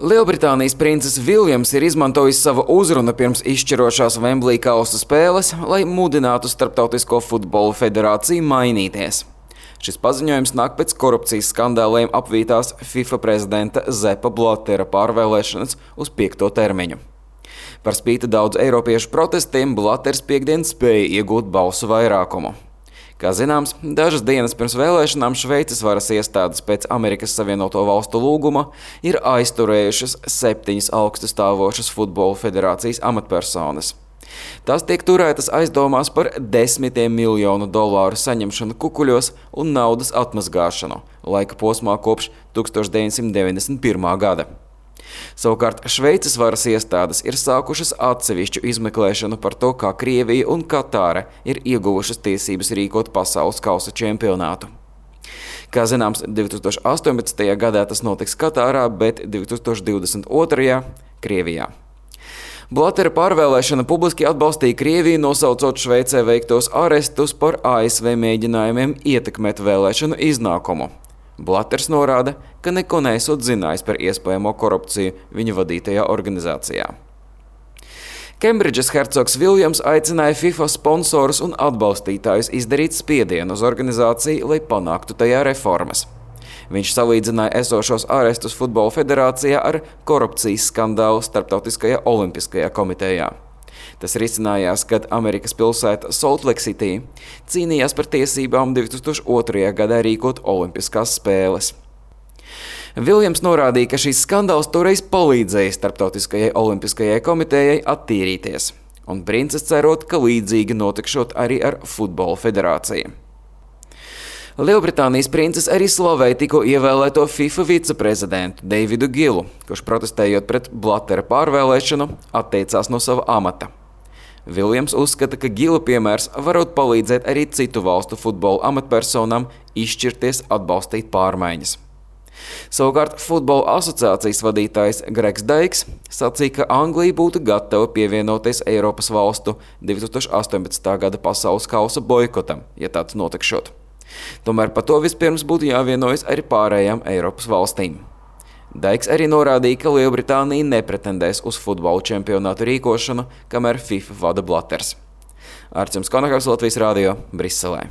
Lielbritānijas princis Viljams ir izmantojis savu uzrunu pirms izšķirošās Wembley kausa spēles, lai mudinātu Starptautisko futbola federāciju mainīties. Šis paziņojums nāk pēc korupcijas skandāliem apvītās FIFA prezidenta Seppa Blattera pārvēlēšanas uz 5. termiņu. Par spīti daudz eiropiešu protestiem Blatters piekdien spēja iegūt balsu vairākumu. Kā zināms, dažas dienas pirms vēlēšanām Šveices varas iestādes pēc Amerikas Savienoto Valstu lūguma ir aizturējušas 7 augstu stāvošas futbola federācijas amatpersonas. Tās tiek turētas aizdomās par $10 miljonu saņemšanu kukuļos un naudas atmazgāšanu laika posmā kopš 1991. gada. Savukārt Šveices varas iestādes ir sākušas atsevišķu izmeklēšanu par to, kā Krievija un Katāra ir ieguvušas tiesības rīkot pasaules kausa čempionātu. Kā zināms, 2018. gadā tas notiks Katārā, bet 2022. Krievijā. Blattera pārvēlēšana publiski atbalstīja Krieviju, nosaucot Šveicē veiktos arestus par ASV mēģinājumiem ietekmēt vēlēšanu iznākumu. Blatters norāda, ka neko neesot zinājis par iespējamo korupciju viņa vadītajā organizācijā. Kembridžas hercogs Viljams aicināja FIFA sponsorus un atbalstītājus izdarīt spiedienu uz organizāciju, lai panāktu tajā reformas. Viņš salīdzināja esošos arestus futbola federācijā ar korupcijas skandālu Starptautiskajā olimpiskajā komitejā. Tas risinājās, kad Amerikas pilsēta Salt Lake City cīnījās par tiesībām 2002. gadā rīkot olimpiskās spēles. Viljams norādīja, ka šīs skandāls toreiz palīdzēja Starptautiskajai olimpiskajai komitejai attīrīties, un princis cerot, ka līdzīgi notikšot arī ar futbola federāciju. Lielbritānijas princis arī slavēja tikko ievēlēto FIFA viceprezidentu Davidu Gilu, kurš protestējot pret Blattera pārvēlēšanu atteicās no sava amata. Viljams uzskata, ka Gila piemērs varot palīdzēt arī citu valstu futbola amatpersonām izšķirties atbalstīt pārmaiņas. Savukārt futbola asociācijas vadītājs Gregs Daiks sacīja, ka Anglija būtu gatava pievienoties Eiropas valstu 2018. gada pasaules kausa boikotam, ja tāds notikšot. Tomēr par to vispirms būtu jāvienojas arī pārējām Eiropas valstīm. Daiks arī norādīja, ka Lielbritānija nepretendēs uz futbola čempionātu rīkošanu, kamēr FIFA vada Blatters. Arčuns Konakavs, Latvijas radio, Briselē.